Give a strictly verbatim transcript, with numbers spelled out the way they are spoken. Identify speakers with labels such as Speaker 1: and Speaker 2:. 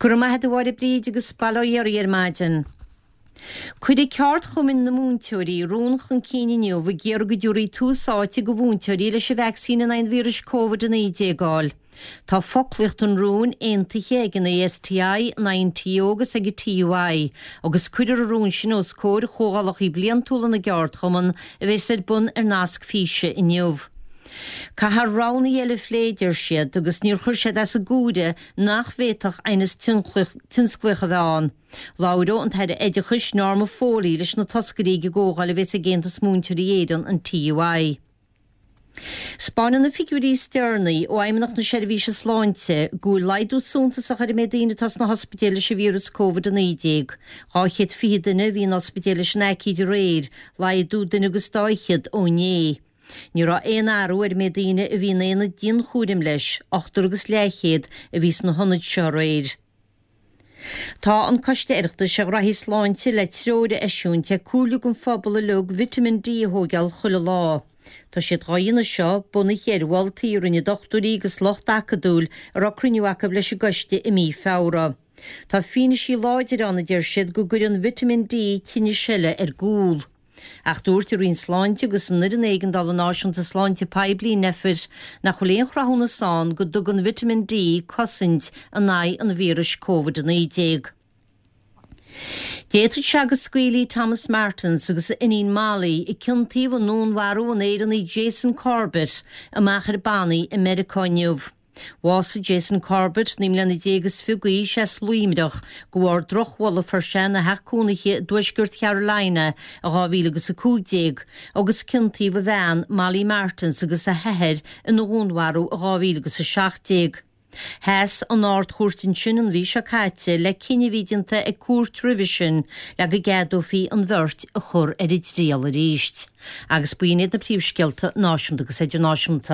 Speaker 1: Go raibh maith agat a Mháire Bríd agus bail ó Dhia oraibh ar maidin. Cuirfidh Ceardchumainn na Múinteoirí rún chun cinn inniu ag iarraidh go dtabharfaí tús áite do mhúinteoirí leis an vacsaín in aghaidh an víris Covid a naoi déag a fháil. Tá foclaíocht an rúin aontaithe ag an ASTI, an INTO agus ag an TUI, agus cuirfear an rún sin os comhair chomhdhálacha bliantúla na gceardchumann a bheas ar bun ar nasc físe inniu. Caithfear roghanna eile a phlé, deir siad, agus níor chuir siad as an gcomhaireamh nach bhféadfadh aighneas tionsclaíoch a bheith ann. Labhróidh an tAire Oideachais Norma Foley leis na toscairí ag an gcomhdháil a bheas ag Aontas Múinteoirí Éireann, an TUI. 'Spáineann na figiúirí is deireanaí ó Fheidhmeannacht na Seirbhíse Sláinte go bhfuil laghdú suntasach ar an méid daoine atá sna hospidéil leis an víreas Covid a naoi déag. Dhá chéad fiche duine a bhí in ospidéal leis an aicíd aréir, laghdú duine agus dá fhichead ó inné. Ní raibh aon athrú ar an méid daoine a bhí in aonaid dianchúraim leis, ochtar agus leathchéad a bhí sna hionaid seo aréir. Tá an Coiste Oireachtais ar Ghraithí Sláinte le treoir a eisiúint ag comhairliú don phobal uilig Vitamin D a thóigeáil chuile lá. Tá siad dhá dhéanamh seo bunaithe ar mholtaí a rinne dochtúirí agus lucht acadúil a raibh cruinniú acu leis an gcoiste i mí Feabhra. Tá fianaisí láidir ann a deir siad go gcuireann Vitamin D tinnis eile ar gcúl. Ach dúirt an Roinn Sláinte agus an Fhoireann Éigeandála Náisiúnta Sláinte Poiblí, Nphet, nach bhfuil aon chruthúnas ann go dtugann Vitamin D cosaint in aghaidh an víris Covid a naoi déag. D'fhéadfadh sé go scaoilfí Thomas Martins agus a iníon Molly, a ciontaíodh i ndúnmharú an Éireannaigh Jason Corbett, amach ar bannaí i Meiriceá inniu. Bhásaigh Jason Corbett, naoi mbliana déag is fiche d'aois, as Luimneach, de bharr drochbholadh a fuair sé ina theach cónaithe i dtuaisceart Carolina i dhá mhíle agus a cúig déag, agus ciontaíodh a bhean, Molly Martins, agus a hathair ina dhúnmharú i dhá mhíle agus a seacht déag. Sheas an Ard-Chúirt ansin an mhí seo caite le cinneadh a bhí déanta ag cúirt roimhe sin le go gceadófaí an bheirt a chur ar a dtriail arís. Agus b'in iad na príomhscéalta náisiúnta agus idirnáisiúnta.